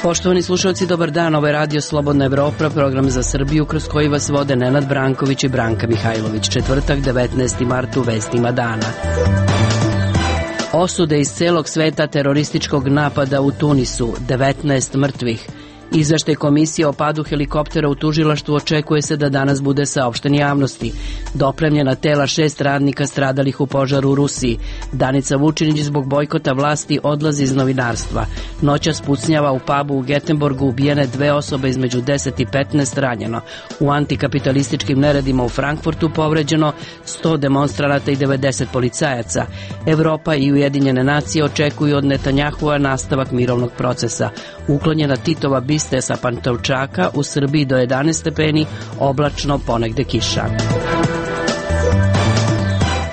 Poštovani slušalci, dobar dan, ovo je Radio Slobodna Evropa, program za Srbiju kroz koji vas vode Nenad Branković i Branka Mihajlović. Četvrtak, 19. mart u vestima dana. Osude iz celog sveta terorističkog napada u Tunisu, 19 mrtvih. Izveštaj komisije o padu helikoptera u tužilaštvu očekuje se da danas bude saopšten javnosti. Dopremljena tela 6 radnika stradalih u požaru u Rusiji. Danica Vučinić zbog bojkota vlasti odlazi iz novinarstva. Noćas pucnjava u pubu u Getenborgu, ubijene 2 osobe, između 10 i 15 ranjeno. U antikapitalističkim neredima u Frankfurtu povređeno 100 demonstranata i 90 policajaca. Evropa i Ujedinjene nacije očekuju od Netanjahua nastavak mirovnog procesa. Uklonjena Titova biste sa Pantovčaka, u Srbiji do 11 stepeni, oblačno, ponegde kiša.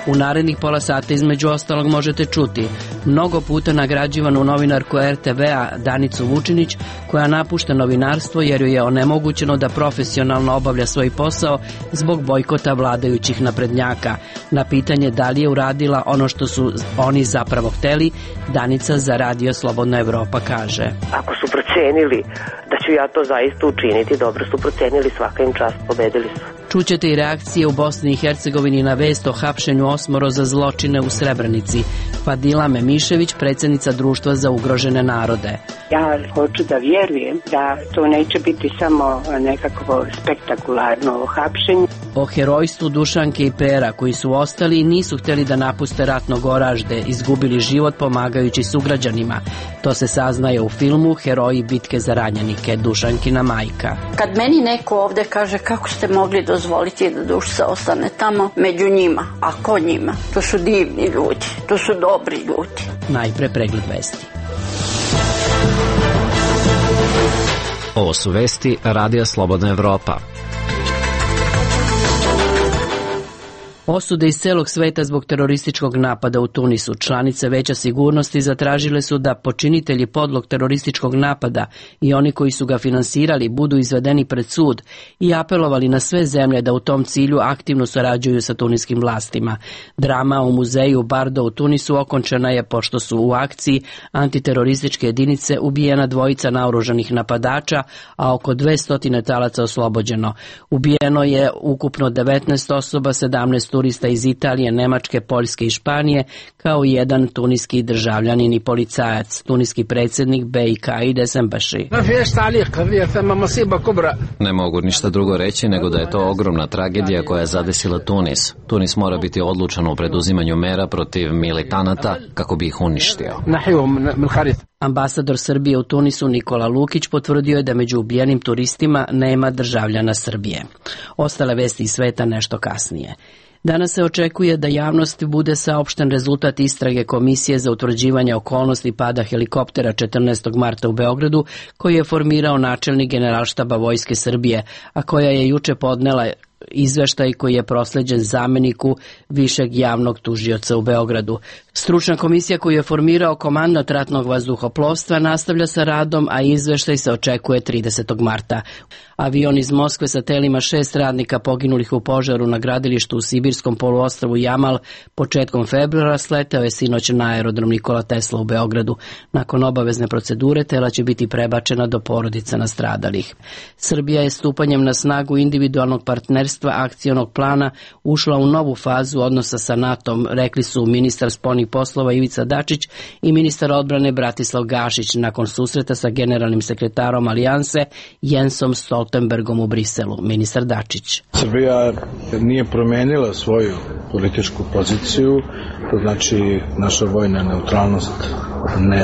U narednih pola sata između ostalog možete čuti mnogo puta nagrađivanu novinarku RTV-a Danicu Vučinić, koja napušta novinarstvo jer joj je onemogućeno da profesionalno obavlja svoj posao zbog bojkota vladajućih naprednjaka. Na pitanje da li je uradila ono što su oni zapravo hteli, Danica za Radio Slobodna Evropa kaže: Ako su procenili da ću ja to zaista učiniti, dobro su procenili, svaka im čast, pobedili su. Čućete i reakcije u Bosni i Hercegovini na vest o hapšenju 8 za zločine u Srebrenici. Fadila Memišević, predsjednica Društva za ugrožene narode. Ja hoću da vjerujem da to neće biti samo nekakvo spektakularno hapšenje. O herojstvu Dušanke i Pera, koji su ostali i nisu htjeli da napuste ratno Goražde, izgubili život pomagajući sugrađanima. To se saznaje u filmu Heroji bitke za ranjenike, Dušankina majka. Kad meni neko ovdje kaže kako ste mogli dozvoliti da Dušica ostane tamo među njima, a ko njima? To su divni ljudi, to su dobri ljudi. Najpre pregled vesti. Ovo su vesti Radija Slobodna Evropa. Osude iz celog sveta zbog terorističkog napada u Tunisu. Članice Veća sigurnosti zatražile su da počinitelji podlog terorističkog napada i oni koji su ga finansirali budu izvedeni pred sud i apelovali na sve zemlje da u tom cilju aktivno sarađuju sa tuniskim vlastima. Drama u muzeju Bardo u Tunisu okončana je pošto su u akciji antiterorističke jedinice ubijena 2 naoružanih napadača, a oko 200 talaca oslobođeno. Ubijeno je ukupno 19 osoba, 17 turista iz Italije, Nemačke, Poljske i Španije, kao i 1 tuniski državljanin i policajac. Tuniski predsjednik BiH Idris Embaši. Ne mogu ništa drugo reći nego da je to ogromna tragedija koja je zadesila Tunis. Tunis mora biti odlučan u preduzimanju mera protiv militanata kako bi ih uništio. Ambasador Srbije u Tunisu Nikola Lukić potvrdio je da među ubijenim turistima nema državljana Srbije. Ostale vesti iz sveta nešto kasnije. Danas se očekuje da javnosti bude saopšten rezultat istrage Komisije za utvrđivanje okolnosti pada helikoptera 14. marta u Beogradu, koji je formirao načelnik Generalštaba Vojske Srbije, a koja je juče podnela izveštaj koji je prosleđen zameniku višeg javnog tužioca u Beogradu. Stručna komisija koju je formirao komandant ratnog vazduhoplovstva nastavlja sa radom, a izveštaj se očekuje 30. marta. Avion iz Moskve sa telima 6 radnika poginulih u požaru na gradilištu u sibirskom poluostrvu Jamal početkom februara sleteo je sinoć na aerodrom Nikola Tesla u Beogradu. Nakon obavezne procedure tela će biti prebačena do porodica nastradalih. Srbija je stupanjem na snagu individualnog partnerstva akcionog plana ušla u novu fazu odnosa sa NATO-om, rekli su ministar spoljnih poslova Ivica Dačić i ministar odbrane Bratislav Gašić nakon susreta sa generalnim sekretarom Alijanse Jensom Stoltenbergom u Briselu. Ministar Dačić: Srbija nije promenila svoju političku poziciju, to znači naša vojna neutralnost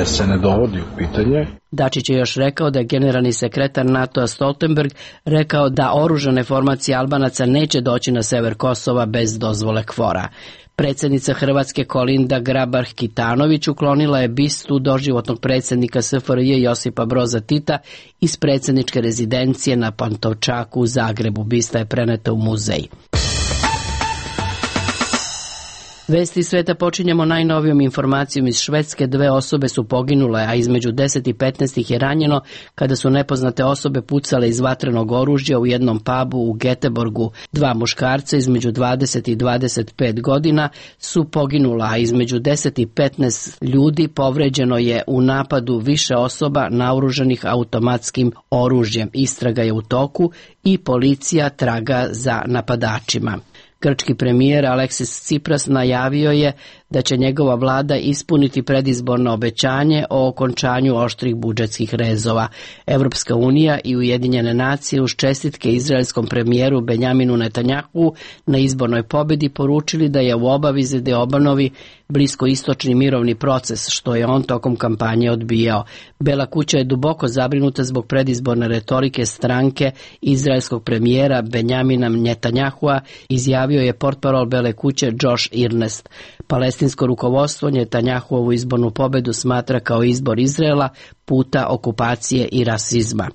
se ne dovodi u pitanje. Dačić je još rekao da je generalni sekretar NATO-a Stoltenberg rekao da oružane formacije Albanaca neće doći na sever Kosova bez dozvole KFOR-a. Predsjednica Hrvatske Kolinda Grabar-Kitarović uklonila je bistu doživotnog predsjednika SFRJ Josipa Broza Tita iz predsjedničke rezidencije na Pantovčaku u Zagrebu. Bista je preneta u muzej. Vesti sveta počinjemo najnovijom informacijom iz Švedske. 2 osobe su poginule, a između 10 i 15 ih je ranjeno kada su nepoznate osobe pucale iz vatrenog oružja u jednom pubu u Göteborgu. 2 muškarca između 20 i 25 godina su poginula, a između 10 i 15 ljudi povređeno je u napadu više osoba naoružanih automatskim oružjem. Istraga je u toku i policija traga za napadačima. Grčki premijer Aleksis Tsipras najavio je da će njegova vlada ispuniti predizborno obećanje o okončanju oštrih budžetskih rezova. Evropska unija i Ujedinjene nacije uz čestitke izraelskom premijeru Benjaminu Netanjahu na izbornoj pobedi poručili da je u obavizi da obnovi bliskoistočni mirovni proces, što je on tokom kampanje odbijao. Bela kuća je duboko zabrinuta zbog predizborne retorike stranke izraelskog premijera Benjamina Netanjahua, izjavio je portparol Bele kuće Josh Earnest. Palestinsko rukovodstvo Netanjahuovu izbornu pobedu smatra kao izbor Izraela puta okupacije i rasizma.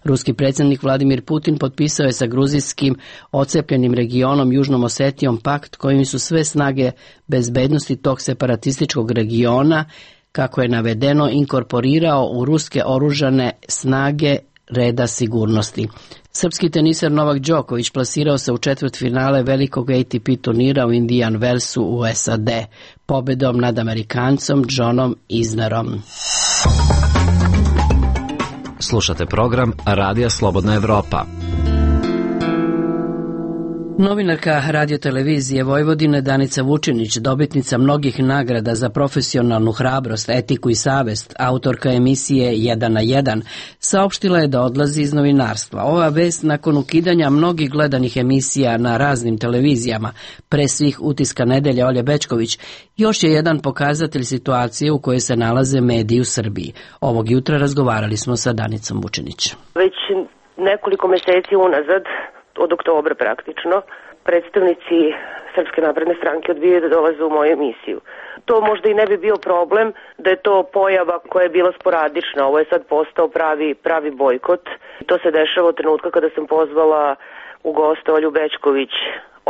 Ruski predsjednik Vladimir Putin potpisao je sa gruzijskim odcepljenim regionom Južnom Osetijom pakt kojim su sve snage bezbednosti tog separatističkog regiona, kako je navedeno, inkorporirao u ruske oružane snage reda sigurnosti. Srpski teniser Novak Đoković plasirao se u četvrtfinale velikog ATP turnira u Indian Wellsu u SAD, pobedom nad Amerikancom Johnom Isnerom. Slušate program Radija Slobodna Evropa. Novinarka radiotelevizije Vojvodine Danica Vučinić, dobitnica mnogih nagrada za profesionalnu hrabrost, etiku i savest, autorka emisije 1 na 1, saopštila je da odlazi iz novinarstva. Ova vest nakon ukidanja mnogih gledanih emisija na raznim televizijama, pre svih Utiska nedelje Olje Bećković, još je jedan pokazatelj situacije u kojoj se nalaze mediji u Srbiji. Ovog jutra razgovarali smo sa Danicom Vučinić. Već nekoliko meseci unazad, od oktobra praktično, predstavnici Srpske napredne stranke odbijaju da dolaze u moju emisiju. To možda i ne bi bio problem da je to pojava koja je bila sporadična. Ovo je sad postao pravi bojkot. To se dešava od trenutka kada sam pozvala u goste Olju Bećković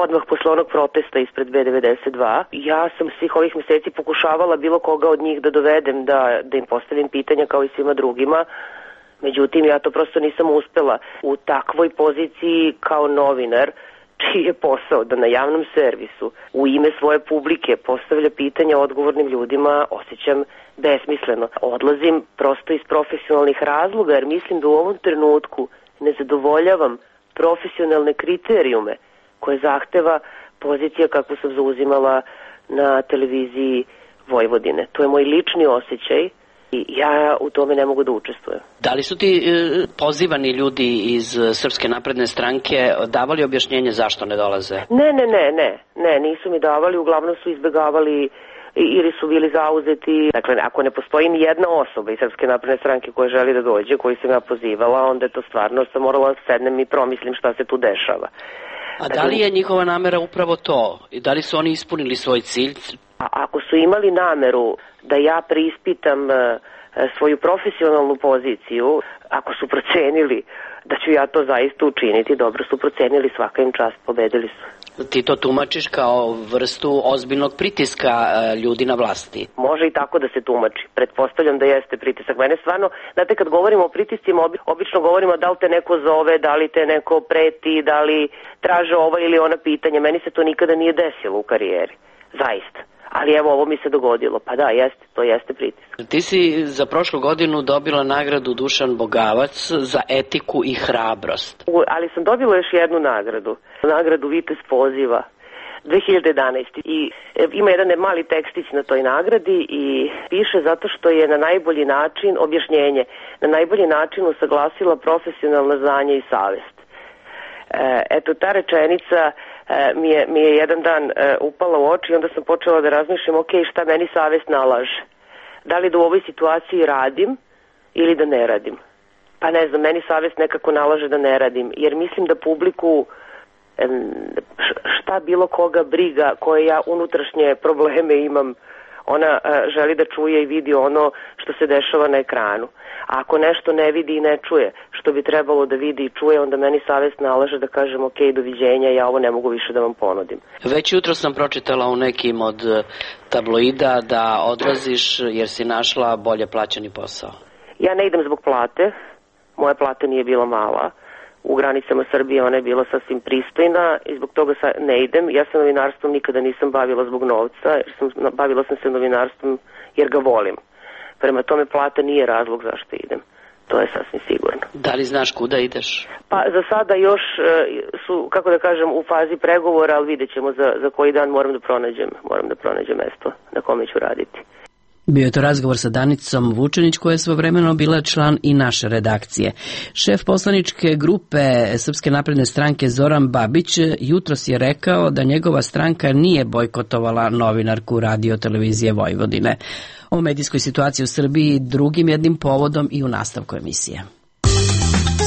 odmah posle onog protesta ispred B92. Ja sam svih ovih meseci pokušavala bilo koga od njih da dovedem, da im postavim pitanja kao i svima drugima. Međutim, ja to prosto nisam uspela u takvoj poziciji kao novinar, čiji je posao da na javnom servisu u ime svoje publike postavlja pitanja odgovornim ljudima, osjećam besmisleno. Odlazim prosto iz profesionalnih razloga, jer mislim da u ovom trenutku ne zadovoljavam profesionalne kriterijume koje zahteva pozicija kakvu sam zauzimala na televiziji Vojvodine. To je moj lični osjećaj. I ja u tome ne mogu da učestvujem. Da li su ti pozivani ljudi iz Srpske napredne stranke davali objašnjenje zašto ne dolaze? Ne, nisu mi davali, uglavnom su izbegavali ili su bili zauzeti. Dakle, ako ne postoji ni jedna osoba iz Srpske napredne stranke koja želi da dođe, koju sam ja pozivala, onda je to stvarno, sam morala da sednem i promislim šta se tu dešava. A da li je njihova namera upravo to? I da li su oni ispunili svoj cilj? Ako su imali nameru da ja preispitam svoju profesionalnu poziciju, ako su procenili da ću ja to zaista učiniti, dobro su procenili, svaka im čast, pobedili su. Ti to tumačiš kao vrstu ozbiljnog pritiska ljudi na vlasti? Može i tako da se tumači. Pretpostavljam da jeste pritisak. Mene stvarno, znate, kad govorimo o pritiscima, obično govorimo da li te neko zove, da li te neko preti, da li traže ova ili ona pitanja. Meni se to nikada nije desilo u karijeri. Zaista. Ali evo, ovo mi se dogodilo. Pa da, jeste, to jeste pritisak. Ti si za prošlu godinu dobila nagradu Dušan Bogavac za etiku i hrabrost. Ali sam dobila još jednu nagradu. Nagradu Vitez poziva 2011. I ima jedan mali tekstić na toj nagradi i piše zato što je na najbolji način, objašnjenje, na najbolji način usaglasila profesionalno znanje i savest. Eto, ta rečenica mi je jedan dan upala u oči i onda sam počela da razmišljam, ok, šta meni savest nalaže? Da li da u ovoj situaciji radim ili da ne radim? Pa ne znam, meni savest nekako nalaže da ne radim, jer mislim da publiku šta bilo koga briga, koje ja unutrašnje probleme imam Ona želi da čuje i vidi ono što se dešava na ekranu. A ako nešto ne vidi i ne čuje što bi trebalo da vidi i čuje, onda meni savest nalaže da kažem ok, doviđenja, ja ovo ne mogu više da vam ponudim. Već jutro sam pročitala u nekim od tabloida da odlaziš jer si našla bolje plaćeni posao. Ja ne idem zbog plate, moja plata nije bila mala. U granicama Srbije ona je bila sasvim pristojna i zbog toga ne idem. Ja se novinarstvom nikada nisam bavila zbog novca, bavila sam se novinarstvom jer ga volim. Prema tome plata nije razlog zašto idem. To je sasvim sigurno. Da li znaš kuda ideš? Pa za sada još su, kako da kažem, u fazi pregovora, ali vidjet ćemo za koji dan moram da pronađem mesto na kome ću raditi. Bio je to razgovor sa Danicom Vučenić, koja je svojevremeno bila član i naše redakcije. Šef poslaničke grupe Srpske napredne stranke Zoran Babić jutros je rekao da njegova stranka nije bojkotovala novinarku Radio televizije Vojvodine. O medijskoj situaciji u Srbiji drugim jednim povodom i u nastavku emisije.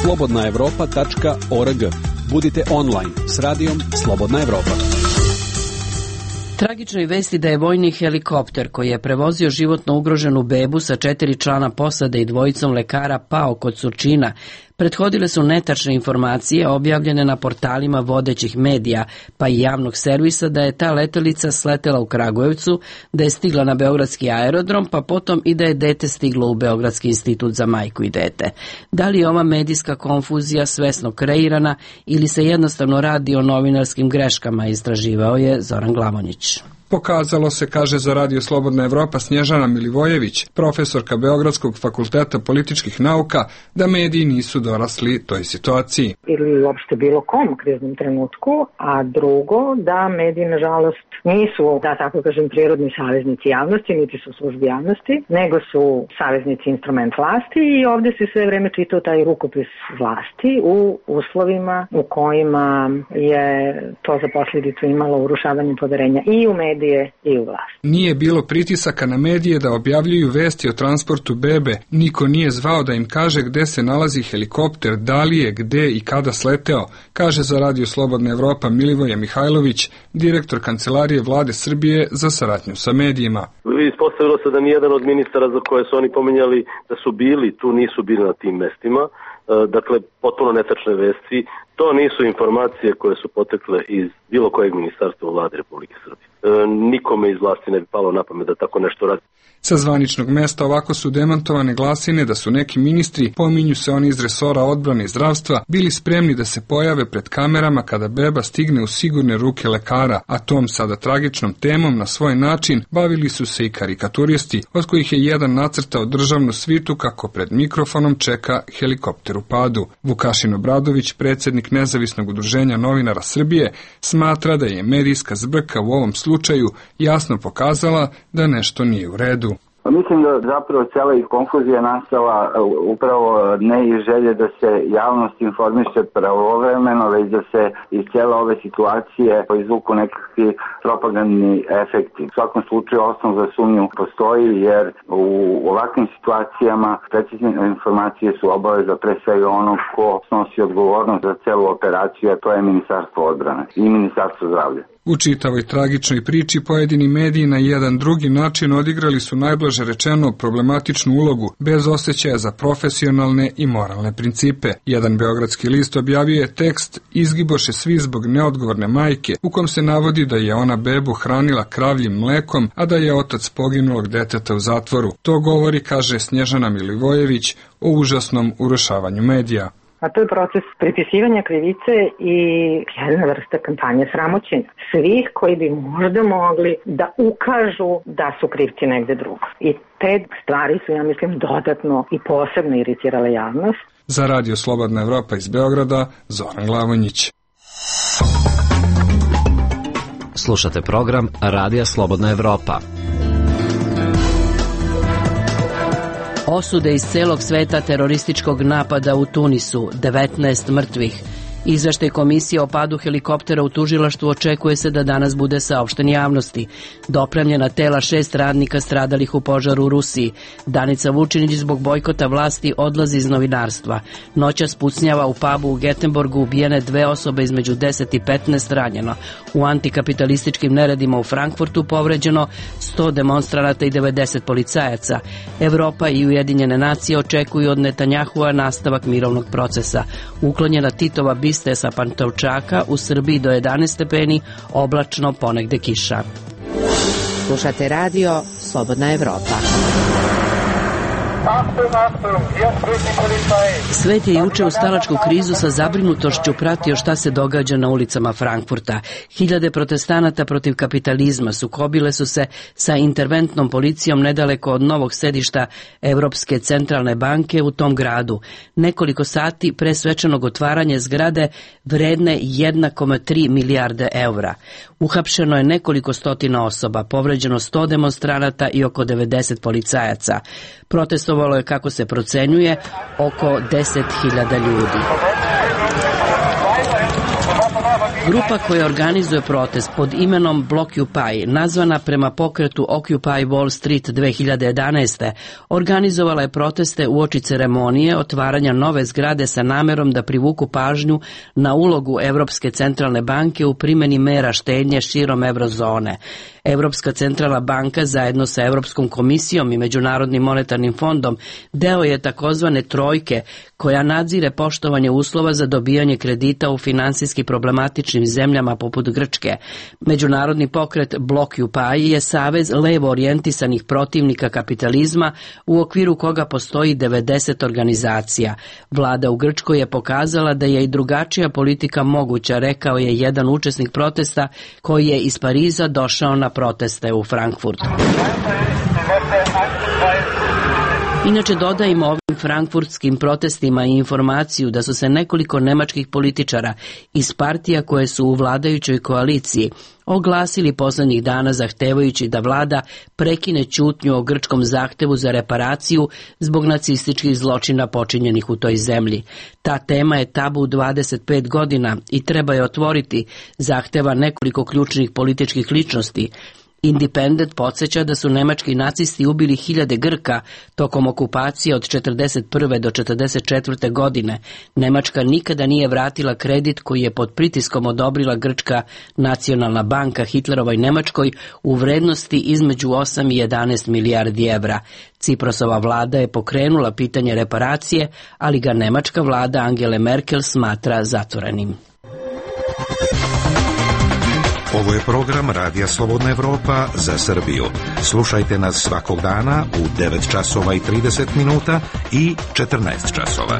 slobodnaevropa.org. Budite online s radijom Slobodna Evropa. Tragičnoj vesti da je vojni helikopter koji je prevozio životno ugroženu bebu sa 4 člana posade i 2 lekara pao kod Surčina prethodile su netačne informacije objavljene na portalima vodećih medija, pa i javnog servisa, da je ta letelica sletela u Kragujevcu, da je stigla na beogradski aerodrom, pa potom i da je dete stiglo u Beogradski institut za majku i dete. Da li je ova medijska konfuzija svesno kreirana ili se jednostavno radi o novinarskim greškama, istraživao je Zoran Glavonjić. Pokazalo se, kaže za Radio Slobodna Evropa Snježana Milivojević, profesorka Beogradskog fakulteta političkih nauka, da mediji nisu dorasli toj situaciji. Ili uopšte bilo kom u kriznom trenutku, a drugo, da mediji, nažalost, nisu, da tako kažem, prirodni saveznici javnosti, niti su službi javnosti, nego su saveznici instrument vlasti i ovdje se sve vreme čitao taj rukopis vlasti u uslovima u kojima je to za posljedicu imalo urušavanje poverenja i u medije i u vlast. Nije bilo pritisaka na medije da objavljuju vesti o transportu bebe, niko nije zvao da im kaže gde se nalazi helikopter, da li je, gde i kada sleteo, kaže za Radio Slobodna Evropa Milivoje Mihajlović, direktor kancelarije Vlade Srbije za saradnju sa medijima. Ispostavilo se da nijedan od ministara za koje su oni pominjali da su bili, tu nisu bili na tim mestima, dakle potpuno netačne vesti. To nisu informacije koje su potekle iz bilo kojeg ministarstva Vlade Republike Srbije. Nikome iz vlasti ne bi palo na pamet da tako nešto radi. Sa zvaničnog mesta ovako su demantovane glasine da su neki ministri, pominju se oni iz resora odbrane i zdravstva, bili spremni da se pojave pred kamerama kada beba stigne u sigurne ruke lekara, a tom sada tragičnom temom na svoj način bavili su se i karikaturisti, od kojih je jedan nacrtao državnu svitu kako pred mikrofonom čeka helikopter u padu. Vukašin Obradović, predsjednik Nezavisnog udruženja novinara Srbije, smatra da je medijska zbrka u ovom slučaju jasno pokazala da nešto nije u redu. Mislim da zapravo cijela i konfuzija nastala upravo ne iz želje da se javnost informiše pravovremeno, već da se iz cijele ove situacije izvuku nekakvi propagandni efekti. U svakom slučaju osnov za sumnju postoji, jer u ovakvim situacijama precizne informacije su obaveza pre svega onog ko snosi odgovornost za celu operaciju, a to je Ministarstvo odbrane i Ministarstvo zdravlja. U čitavoj tragičnoj priči pojedini mediji na jedan drugi način odigrali su najblaže rečeno problematičnu ulogu, bez osjećaja za profesionalne i moralne principe. Jedan beogradski list objavio je tekst "Izgiboše svi zbog neodgovorne majke", u kom se navodi da je ona bebu hranila kravljim mlekom, a da je otac poginulog deteta u zatvoru. To govori, kaže Snježana Milivojević, o užasnom urušavanju medija. A to je proces pripisivanja krivice i jedna vrsta kampanje sramoćenja svih koji bi možda mogli da ukažu da su krivci negde drugo. I te stvari su, ja mislim, dodatno i posebno iritirale javnost. Za Radio Slobodna Evropa iz Beograda, Zoran Glavonjić. Slušate program Radija Slobodna Evropa. Osude iz celog sveta terorističkog napada u Tunisu, 19 mrtvih. Izveštaj komisije o padu helikoptera u tužilaštvu očekuje se da danas bude saopšten javnosti. Dopremljena tela 6 radnika stradalih u požaru u Rusiji. Danica Vučinić zbog bojkota vlasti odlazi iz novinarstva. Noćas pucnjava u pubu u Getenborgu, ubijene 2 osobe, između 10 i 15 ranjeno. U antikapitalističkim neredima u Frankfurtu povređeno 100 demonstranata i 90 policajaca. Evropa i Ujedinjene nacije očekuju od Netanjahua nastavak mirovnog procesa. Uklonjena Titova biste sa Pantovčaka, u Srbiji do 11 stepeni, oblačno, ponegde kiša. Slušate radio Slobodna Evropa. Svet je juče u stalačku krizu sa zabrinutošću pratio šta se događa na ulicama Frankfurta. Hiljade protestanata protiv kapitalizma sukobile su se sa interventnom policijom nedaleko od novog sedišta Evropske centralne banke u tom gradu. Nekoliko sati pre svečanog otvaranja zgrade vredne 1,3 milijarde eura. Uhapšeno je nekoliko stotina osoba, povređeno 100 demonstranata i oko 90 policajaca. Protestovalo je, kako se procenjuje, oko 10.000 ljudi. Grupa koja organizuje protest pod imenom Blockupy, nazvana prema pokretu Occupy Wall Street 2011. organizovala je proteste uoči ceremonije otvaranja nove zgrade sa namerom da privuku pažnju na ulogu Evropske centralne banke u primjeni mera štednje širom eurozone. Evropska centralna banka zajedno sa Evropskom komisijom i Međunarodnim monetarnim fondom deo je takozvane trojke koja nadzire poštovanje uslova za dobijanje kredita u finansijski problematičnim zemljama poput Grčke. Međunarodni pokret Blockupy je savez levo orijentisanih protivnika kapitalizma u okviru koga postoji 90 organizacija. Vlada u Grčkoj je pokazala da je i drugačija politika moguća, rekao je jedan učesnik protesta koji je iz Pariza došao na proteste u Frankfurt. Inače, dodajmo ovim frankfurtskim protestima i informaciju da su se nekoliko nemačkih političara iz partija koje su u vladajućoj koaliciji oglasili poslednjih dana zahtevajući da vlada prekine ćutnju o grčkom zahtevu za reparaciju zbog nacističkih zločina počinjenih u toj zemlji. Ta tema je tabu 25 godina i treba je otvoriti, zahteva nekoliko ključnih političkih ličnosti. Independent podsjeća da su nemački nacisti ubili hiljade Grka tokom okupacije od 1941. do 1944. godine. Nemačka nikada nije vratila kredit koji je pod pritiskom odobrila Grčka nacionalna banka Hitlerovoj Nemačkoj u vrednosti između 8 i 11 milijardi evra. Ciprosova vlada je pokrenula pitanje reparacije, ali ga nemačka vlada Angele Merkel smatra zatvorenim. Ovo je program Radija Slobodna Evropa za Srbiju. Slušajte nas svakog dana u 9 časova i 30 minuta i 14 časova.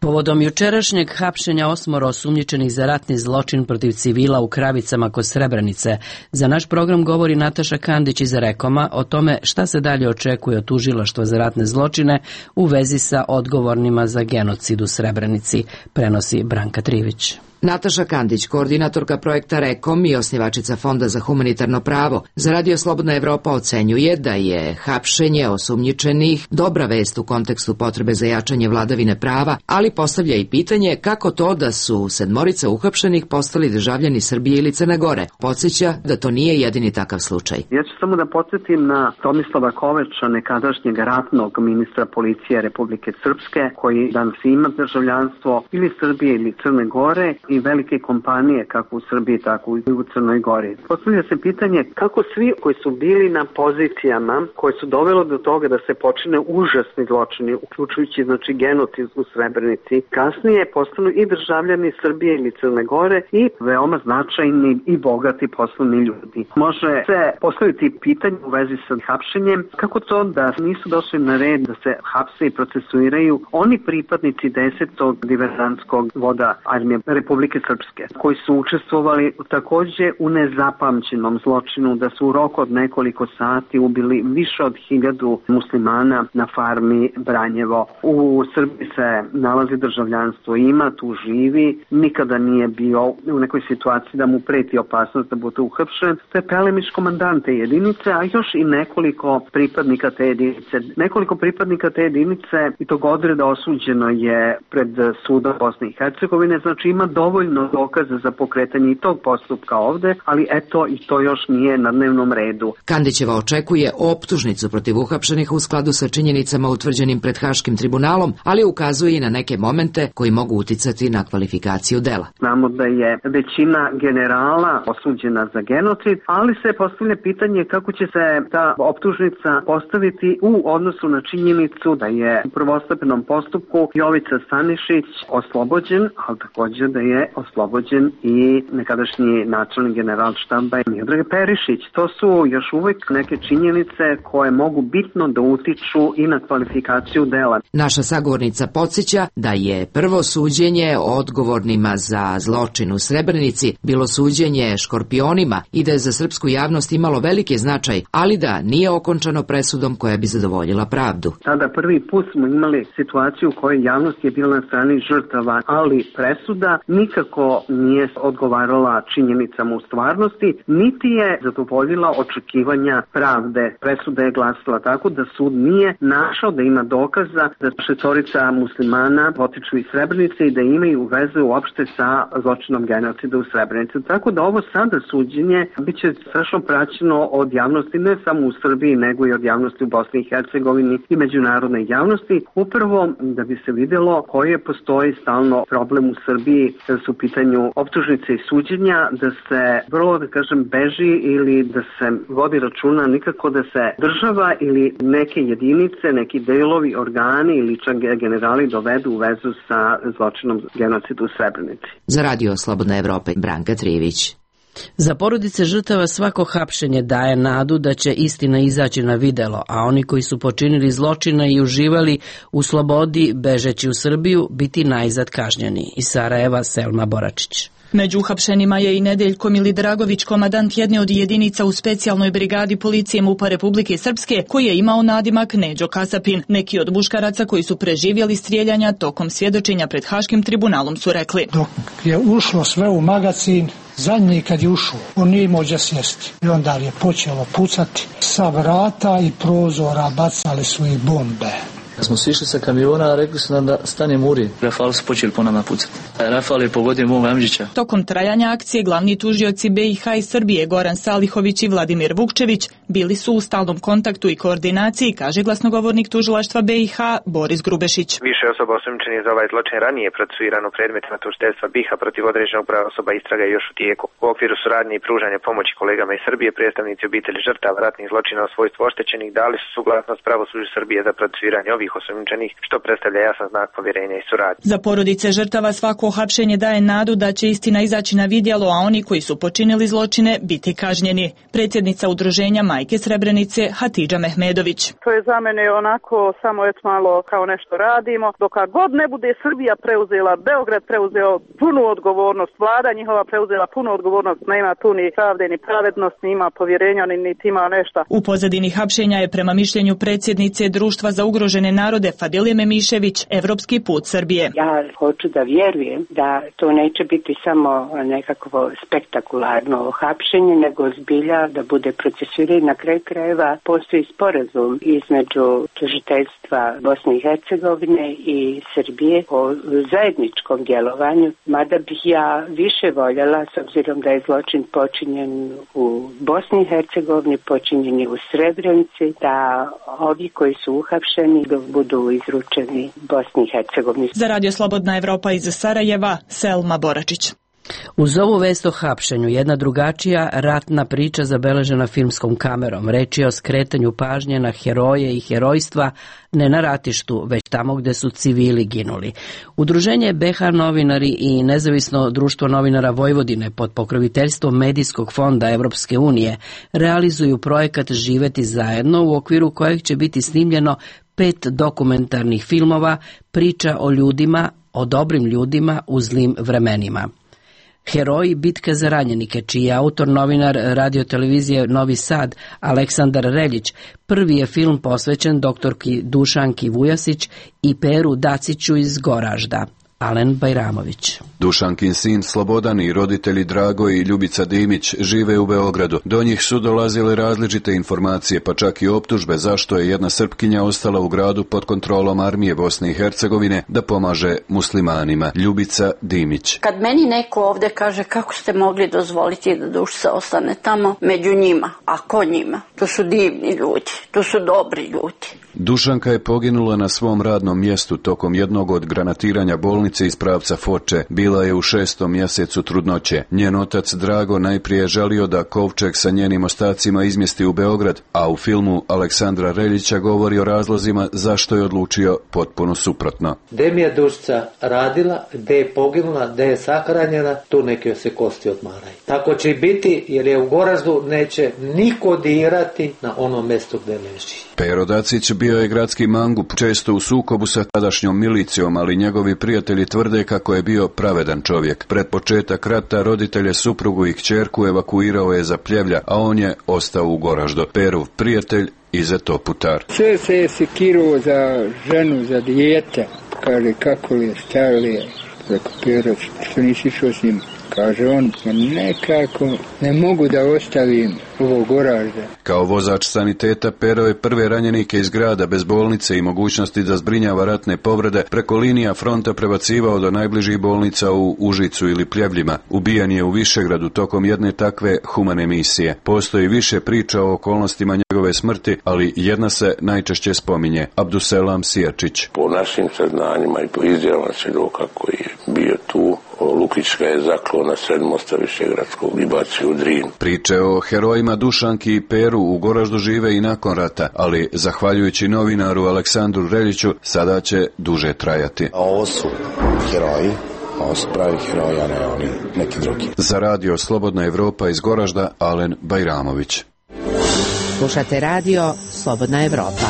Povodom jučerašnjeg hapšenja 8 osumnjičenih za ratni zločin protiv civila u Kravicama kod Srebrenice, za naš program govori Nataša Kandić iz Rekoma o tome šta se dalje očekuje od tužilaštva za ratne zločine u vezi sa odgovornima za genocid u Srebrenici, prenosi Branka Trivić. Nataša Kandić, koordinatorka projekta Rekom i osnivačica Fonda za humanitarno pravo, za Radio Slobodna Evropa ocenjuje da je hapšenje osumnjičenih dobra vest u kontekstu potrebe za jačanje vladavine prava, ali postavlja i pitanje kako to da su 7 uhapšenih postali državljani Srbije ili Crne Gore. Podsjeća da to nije jedini takav slučaj. Ja ću samo da podsjetim na Tomislava Koveča, nekadašnjeg ratnog ministra policije Republike Srpske, koji danas ima državljanstvo ili Srbije ili Crne Gore, i velike kompanije kako u Srbiji, tako i u Crnoj Gori. Postavlja se pitanje kako svi koji su bili na pozicijama koje su dovelo do toga da se počine užasni zločini, uključujući genocid u Srebrenici, kasnije postanu i državljani Srbije ili Crne Gore i veoma značajni i bogati poslovni ljudi. Može se postaviti pitanje u vezi sa hapšenjem, kako to da nisu došli na red da se hapse i procesuiraju oni pripadnici 10. diverzantskog voda armije Republike Republike Srpske, koji su učestvovali takođe u nezapamćenom zločinu, da su u roku od nekoliko sati ubili više od 1000 muslimana na farmi Branjevo. U Srbiji se nalazi državljanstvo, ima, tu živi, nikada nije bio u nekoj situaciji da mu preti opasnost da bude uhapšen. To je Pelemiš, komandant te jedinice, a još i nekoliko pripadnika te jedinice. Nekoliko pripadnika te jedinice i tog odreda osuđeno je pred sudom Bosne i Hercegovine, znači ima dovoljno dokaza za pokretanje i tog postupka ovde, ali eto i to još nije na dnevnom redu. Kandićeva očekuje optužnicu protiv uhapšenih u skladu sa činjenicama utvrđenim pred Haškim tribunalom, ali ukazuje i na neke momente koji mogu uticati na kvalifikaciju dela. Znamo da je većina generala osuđena za genocid, ali se postavlja pitanje kako će se ta optužnica postaviti u odnosu na činjenicu da je u prvostepenom postupku Jovica Stanišić oslobođen, ali takođe da je oslobođen i nekadašnji načelnik generalštaba Miodrag Perišić. To su još uvek neke činjenice koje mogu bitno da utiču i na kvalifikaciju dela. Naša sagovornica podsjeća da je prvo suđenje odgovornima za zločin u Srebrenici bilo suđenje škorpionima i da je za srpsku javnost imalo veliki značaj, ali da nije okončano presudom koja bi zadovoljila pravdu. Tada prvi put smo imali situaciju u kojoj javnost je bila na strani žrtava, ali presuda nikako nije odgovarala činjenicama u stvarnosti, niti je zadovoljila očekivanja pravde. Presuda je glasila tako da sud nije našao da ima dokaza da 6 muslimana potiču iz Srebrenice i da imaju veze uopšte sa zločinom genocida u Srebrenici. Tako da ovo sada suđenje biće strašno praćeno od javnosti, ne samo u Srbiji, nego i od javnosti u Bosni i Hercegovini i međunarodne javnosti, upravo da bi se videlo koji postoji stalno problem u Srbiji kada su u pitanju optužnice i suđenja, da se vrlo, da kažem, beži ili da se vodi računa nikako da se država ili neke jedinice, neki delovi, organi ili čak generali dovedu u vezu sa zločinom genocida u Srebrenici. Za Radio Slobodna Evropa, Branka Trijević. Za porodice žrtava svako hapšenje daje nadu da će istina izaći na videlo, a oni koji su počinili zločina i uživali u slobodi bežeći u Srbiju biti najzad kažnjeni. Iz Sarajeva, Selma Boračić. Među uhapšenima je i Nedeljko Milidragović, komandant jedne od jedinica u specijalnoj brigadi policije MUP-a Republike Srpske, koji je imao nadimak Neđo Kasapin. Neki od muškaraca koji su preživjeli strijeljanja tokom svjedočenja pred Haškim tribunalom su rekli: dok je ušlo sve u magazin, zadnji kad je ušao, on nije imao gdje sjesti. I onda je počelo pucati. Sa vrata i prozora bacali su i bombe. Kad smo sišli sa kamiona, rekli su nam da stanemo uri. Rafal su počeli po nama pucati. Rafal je pogodio mog Amđića. Tokom trajanja akcije glavni tužioci BiH i Srbije Goran Salihović i Vladimir Vukčević bili su u stalnom kontaktu i koordinaciji, kaže glasnogovornik tužilaštva BiH Boris Grubešić. Više osoba osumnjičenih za ovaj zločin ranije procesuirano predmetima tužiteljstva BiH protiv određenog broja osoba, istraga je još u tijeku. U okviru suradnje i pružanja pomoći kolegama iz Srbije, predstavnici obitelji žrtava ratnih zločina u svojstvu oštećenih dali su suglasnost pravosuđu Srbije za procesuiranje ovih osumnjičenih, što predstavlja jasan znak povjerenja i suradnje. Za porodice žrtava svako hapšenje daje nadu da će istina izaći na vidjelo, a oni koji su počinili zločine biti kažnjeni. Predsjednica udruženja Majke Srebrenice Hatidža Mehmedović. To je za mene onako samo malo kao nešto radimo. Dok god ne bude Srbija preuzela, Beograd preuzeo punu odgovornost, vlada njihova preuzela punu odgovornost, nema tu ni pravde ni pravednost, ni ima povjerenja, niti ima nešto. U pozadini hapšenja je prema mišljenju predsjednice Društva za ugrožene narode Fadile Memišević evropski put Srbije. Ja hoću da vjerujem da to neće biti samo nekakvo spektakularno hapšenje, nego zbilja da bude procesuiranje. Na kraju krajeva postoji sporazum između tužiteljstva Bosne i Hercegovine i Srbije o zajedničkom djelovanju, mada bih ja više voljela, s obzirom da je zločin počinjen u Bosni i Hercegovini, počinjen je u Srebrenici, da ovi koji su uhapšeni budu izručeni Bosni i Hercegovini. Za Radio Slobodna Evropa iz Sarajeva, Selma Boračić. Uz ovu vest o hapšenju, jedna drugačija ratna priča zabeležena filmskom kamerom. Reč je o skretanju pažnje na heroje i herojstva, ne na ratištu, već tamo gde su civili ginuli. Udruženje BiH novinari i Nezavisno društvo novinara Vojvodine pod pokroviteljstvom Medijskog fonda Evropske unije realizuju projekat Živeti zajedno, u okviru kojeg će biti snimljeno 5 dokumentarnih filmova, priča o ljudima, o dobrim ljudima u zlim vremenima. Heroji bitke za ranjenike, čiji je autor novinar radiotelevizije Novi Sad Aleksandar Reljić, prvi je film posvećen doktorki Dušanki Vujasić i Peru Daciću iz Goražda. Alen Bajramović. Dušankin sin Slobodan i roditelji Drago i Ljubica Dimić žive u Beogradu. Do njih su dolazile različite informacije, pa čak i optužbe zašto je jedna Srpkinja ostala u gradu pod kontrolom armije Bosne i Hercegovine da pomaže muslimanima. Ljubica Dimić. Kad meni neko ovde kaže kako ste mogli dozvoliti da duša ostane tamo među njima, a ko njima? To su divni ljudi, to su dobri ljudi. Dušanka je poginula na svom radnom mjestu tokom jednog od granatiranja bolnice iz pravca Foče. Bila je u 6. mjesecu trudnoće. Njen otac Drago najprije želio da kovčeg sa njenim ostacima izmjesti u Beograd, a u filmu Aleksandra Reljića govori o razlozima zašto je odlučio potpuno suprotno. Gde mi je dušica radila, gde je poginula, gde je sahranjena, tu neki joj se kosti odmaraju. Tako će i biti, jer je u Goraždu neće niko dirati na onom mjestu gde leži. Pero Dacić bio je gradski mangup, često u sukobu sa tadašnjom milicijom, ali njegovi prijatelji tvrde kako je bio pravedan čovjek. Pred početak rata roditelje, suprugu i kćerku evakuirao je za Pljevlja, a on je ostao u Goraždu. Perov prijatelj Izeto Putar. Sve se je sekiruo za ženu, za dijete. Kaže, kako li je, šta li je, preko Pero, što nisi išao s njim? Kaže on, nekako ne mogu da ostavim ovo Goražda. Kao vozač saniteta Pero je prve ranjenike iz grada bez bolnice i mogućnosti da zbrinjava ratne povrede preko linija fronta prebacivao do najbližih bolnica u Užicu ili Pljevljima. Ubijan je u Višegradu tokom jedne takve humane misije. Postoji više priča o okolnostima njegove smrti, ali jedna se najčešće spominje. Abduselam Sijačić. Po našim saznanjima i po izjavama svjedoka koji je bio tu, Lukić ga je zaklao na sred mosta Višegradskog i bacio u Drin. Priče o herojima Dušanki i Peru u Goraždu žive i nakon rata, ali zahvaljujući novinaru Aleksandru Reljiću sada će duže trajati. A ovo su heroji, ovo su pravi heroji, a ne oni neki drugi. Za radio Slobodna Evropa iz Goražda, Alen Bajramović. Slušate radio Slobodna Evropa.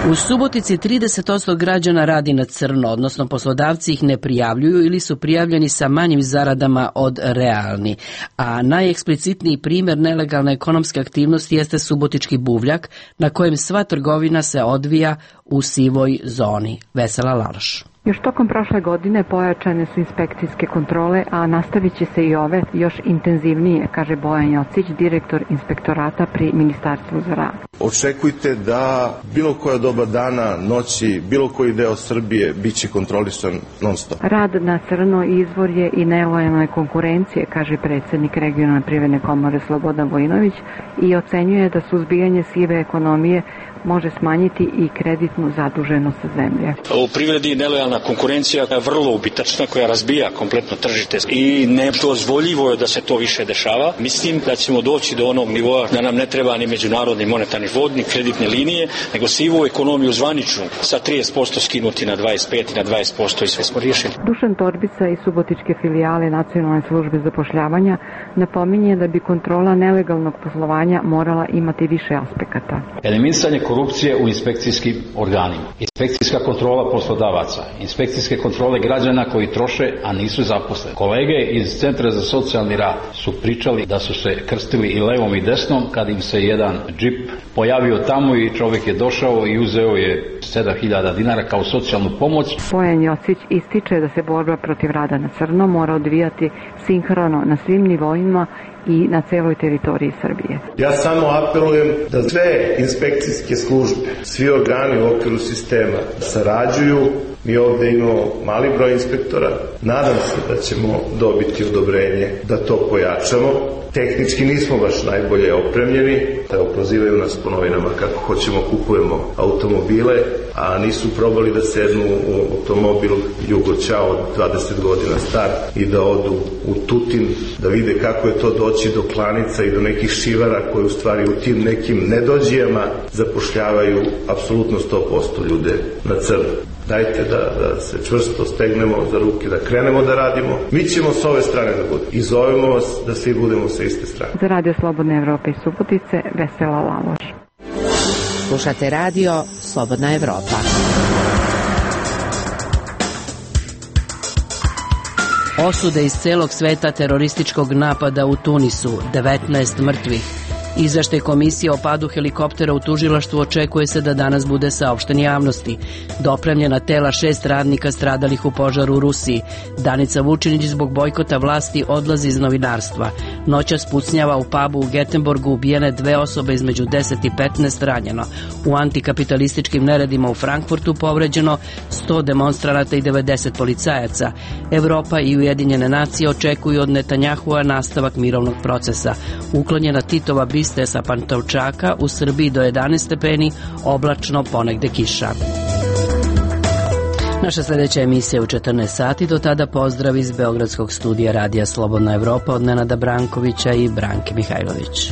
U Subotici 30% građana radi na crno, odnosno poslodavci ih ne prijavljuju ili su prijavljeni sa manjim zaradama od realni. A najeksplicitniji primjer nelegalne ekonomske aktivnosti jeste subotički buvljak, na kojem sva trgovina se odvija u sivoj zoni. Vesela Laloš. Još tokom prošle godine pojačane su inspekcijske kontrole, a nastavit će se i ove još intenzivnije, kaže Bojan Jocić, direktor inspektorata pri Ministarstvu za rad. Očekujte da bilo koja doba dana, noći, bilo koji deo Srbije biće kontrolisan non stop. Rad na crno izvor je i nelojalne konkurencije, kaže predsjednik regionalne privredne komore Slobodan Vojinović i ocenjuje da suzbijanje sive ekonomije može smanjiti i kreditnu zaduženost zemlje. U privredi nelojalna konkurencija je vrlo ubitačna koja razbija kompletno tržište i nedozvoljivo je da se to više dešava. Mislim da ćemo doći do onog nivoa da nam ne treba ni međunarodni monetarni fond, ni kreditne linije, nego sivu ekonomiju zvaničnu sa 30% skinuti na 25 i na 20% i sve smo riješili. Dušan Torbica iz subotičke filijale Nacionalne službe zapošljavanja napominje da bi kontrola nelegalnog poslovanja morala imati više aspekata. Eliminisanje korupcije u inspekcijskim organima, inspekcijska kontrola poslodavaca, inspekcijske kontrole građana koji troše, a nisu zaposleni. Kolege iz Centra za socijalni rad su pričali da su se krstili i levom i desnom kad im se jedan džip pojavio tamo i čovjek je došao i uzeo je 7.000 dinara kao socijalnu pomoć. Bojan Jocić ističe da se borba protiv rada na crno mora odvijati sinhrono na svim nivoima i na celoj teritoriji Srbije. Ja samo apelujem da sve inspekcijske službe, svi organi u okviru sistema sarađuju. Mi ovdje imamo mali broj inspektora. Nadam se da ćemo dobiti odobrenje da to pojačamo. Tehnički nismo baš najbolje opremljeni. Evo, prozivaju nas po novinama kako hoćemo kupujemo automobile, a nisu probali da sednu u automobil Jugo Ćao 20 godina star i da odu u Tutin, da vide kako je to doći do klanica i do nekih šivara koje u stvari u tim nekim nedođijama zapošljavaju apsolutno 100% ljude na crno. Dajte da se čvrsto stegnemo za ruke, da krenemo da radimo. Mi ćemo s ove strane da budemo. I zovemo vas da svi budemo sa iste strane. Za Radio Slobodne Evrope i Subotice, Vesela Laloš. Slušate radio Slobodna Evropa. Osude iz celog sveta terorističkog napada u Tunisu, 19 mrtvih. Izveštaj komisije o padu helikoptera u tužilaštvu očekuje se da danas bude saopšten javnosti. Dopremljena tela 6 radnika stradalih u požaru u Rusiji. Danica Vučinić zbog bojkota vlasti odlazi iz novinarstva. Noćas pucnjava u pubu u Getenborgu, ubijene 2 osobe, između 10 i 15 ranjeno. U antikapitalističkim neredima u Frankfurtu povređeno 100 demonstranata i 90 policajaca. Evropa i Ujedinjene nacije očekuju od Netanjahua nastavak mirovnog procesa. Uklonjena Titova biste sa Pantovčaka, u Srbiji do 11 stepeni, oblačno, ponegde kiša. Naša sljedeća emisija je u 14 sati, do tada pozdrav iz Beogradskog studija Radija Slobodna Evropa od Nenada Brankovića i Branke Mihajlović.